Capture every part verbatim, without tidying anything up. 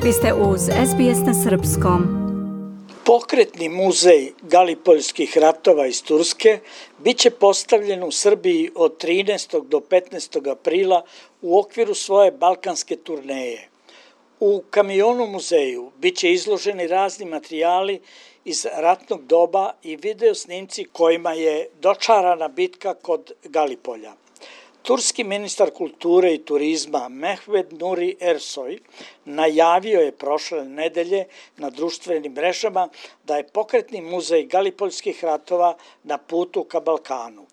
Vi ste uz es be es na srpskom. Pokretni muzej Galipoljskih ratova iz Turske biće postavljen u Srbiji od trinaestog do petnaestog aprila u okviru svoje balkanske turneje. U kamionu muzeju biće izloženi razni materijali iz ratnog doba i video snimci kojima je dočarana bitka kod Galipolja. Turski ministar kulture i turizma Mehmet Nuri Ersoy najavio je prošle nedelje na društvenim mrežama da je pokretni muzej Galipoljskih ratova na putu ka Balkanu.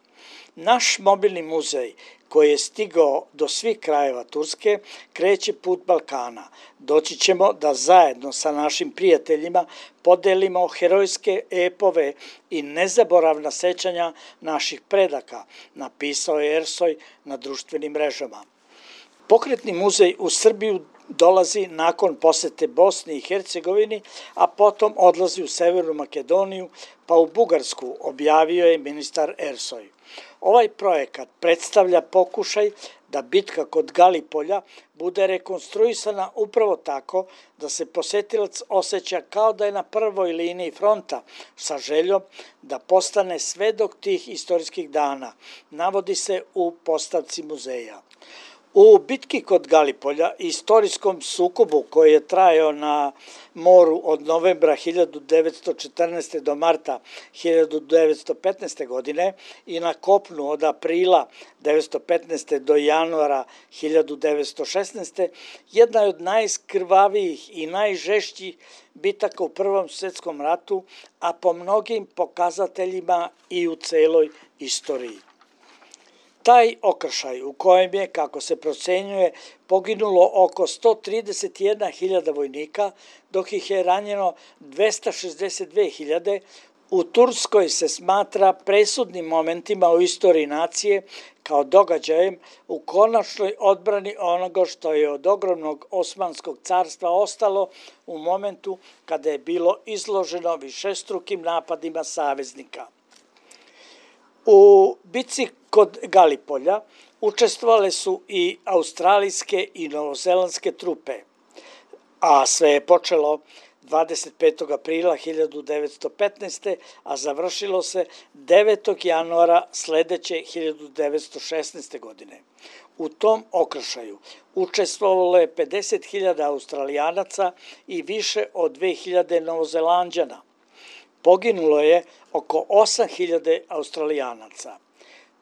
Naš mobilni muzej, koji je stigao do svih krajeva Turske, kreće put Balkana. Doći ćemo da zajedno sa našim prijateljima podelimo herojske epove i nezaboravna sećanja naših predaka, napisao je Ersoy na društvenim mrežama. Pokretni muzej u Srbiju dolazi nakon posete Bosni i Hercegovini, a potom odlazi u Severnu Makedoniju pa u Bugarsku, objavio je ministar Ersoy. Ovaj projekat predstavlja pokušaj da bitka kod Galipolja bude rekonstruisana upravo tako da se posetilac osjeća kao da je na prvoj liniji fronta sa željom da postane svedok tih istorijskih dana, navodi se u postavci muzeja. U bitki kod Galipolja, istorijskom sukobu koji je trajao na moru od novembra hiljadu devetsto četrnaeste. do marta hiljadu devetsto petnaeste. godine i na kopnu od aprila devetsto petnaeste. do januara hiljadu devetsto šesnaeste. jedna je od najskrvavijih i najžešćih bitaka u Prvom svjetskom ratu, a po mnogim pokazateljima i u celoj istoriji. Taj okršaj u kojem je, kako se procenjuje, poginulo oko sto trideset jedna hiljada vojnika, dok ih je ranjeno dvesta šezdeset dve hiljade, u Turskoj se smatra presudnim momentima u istoriji nacije kao događajem u konačnoj odbrani onoga što je od ogromnog Osmanskog carstva ostalo u momentu kada je bilo izloženo višestrukim napadima saveznika. U bitci kod Galipolja učestvovale su i australijske i novozelandske trupe, a sve je počelo dvadeset petog aprila hiljadu devetsto petnaeste. a završilo se devetog januara sledeće hiljadu devetsto šesnaeste. godine. U tom okršaju učestvovalo je pedeset hiljada Australijanaca i više od dve hiljade Novozelanđana. Poginulo je oko osam hiljada Australijanaca.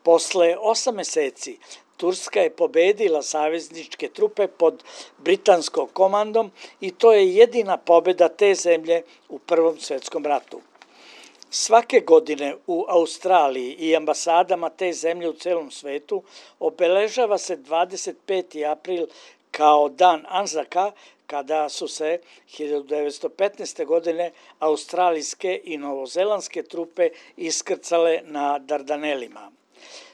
Posle osam meseci Turska je pobedila savezničke trupe pod britanskom komandom i to je jedina pobeda te zemlje u Prvom svjetskom ratu. Svake godine u Australiji i ambasadama te zemlje u celom svetu obeležava se dvadeset peti april kao dan Anzaka, kada su se hiljadu devetsto petnaeste. godine australijske i novozelandske trupe iskrcale na Dardanelima.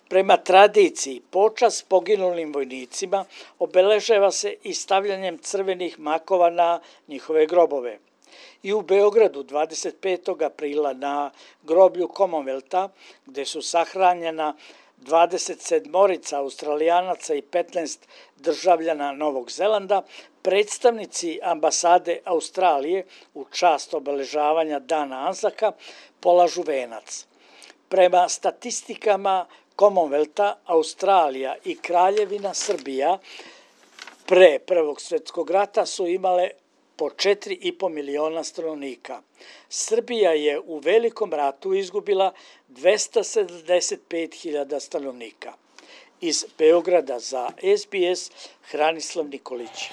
Prema tradiciji, počast poginulim vojnicima obeležava se i stavljanjem crvenih makova na njihove grobove. I u Beogradu dvadeset petog aprila na groblju Commonwealtha, gde su sahranjena dvadeset sedmorica Australijanaca i petnaest državljana Novog Zelanda, predstavnici ambasade Australije u čast obeležavanja dana Anzaka polažu venac. Prema statistikama Commonwealtha, Australija i Kraljevina Srbija pre Prvog svjetskog rata su imale po četiri i po miliona stanovnika. Srbija je u Velikom ratu izgubila dvesta sedamdeset pet hiljada stanovnika. Iz Beograda za es be es, Hranislav Nikolić.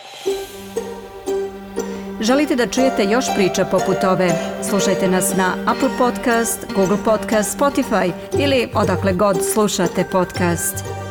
Želite da čujete još priča poput ove? Slušajte nas na Apple Podcast, Google Podcast, Spotify ili odakle god slušate podcast.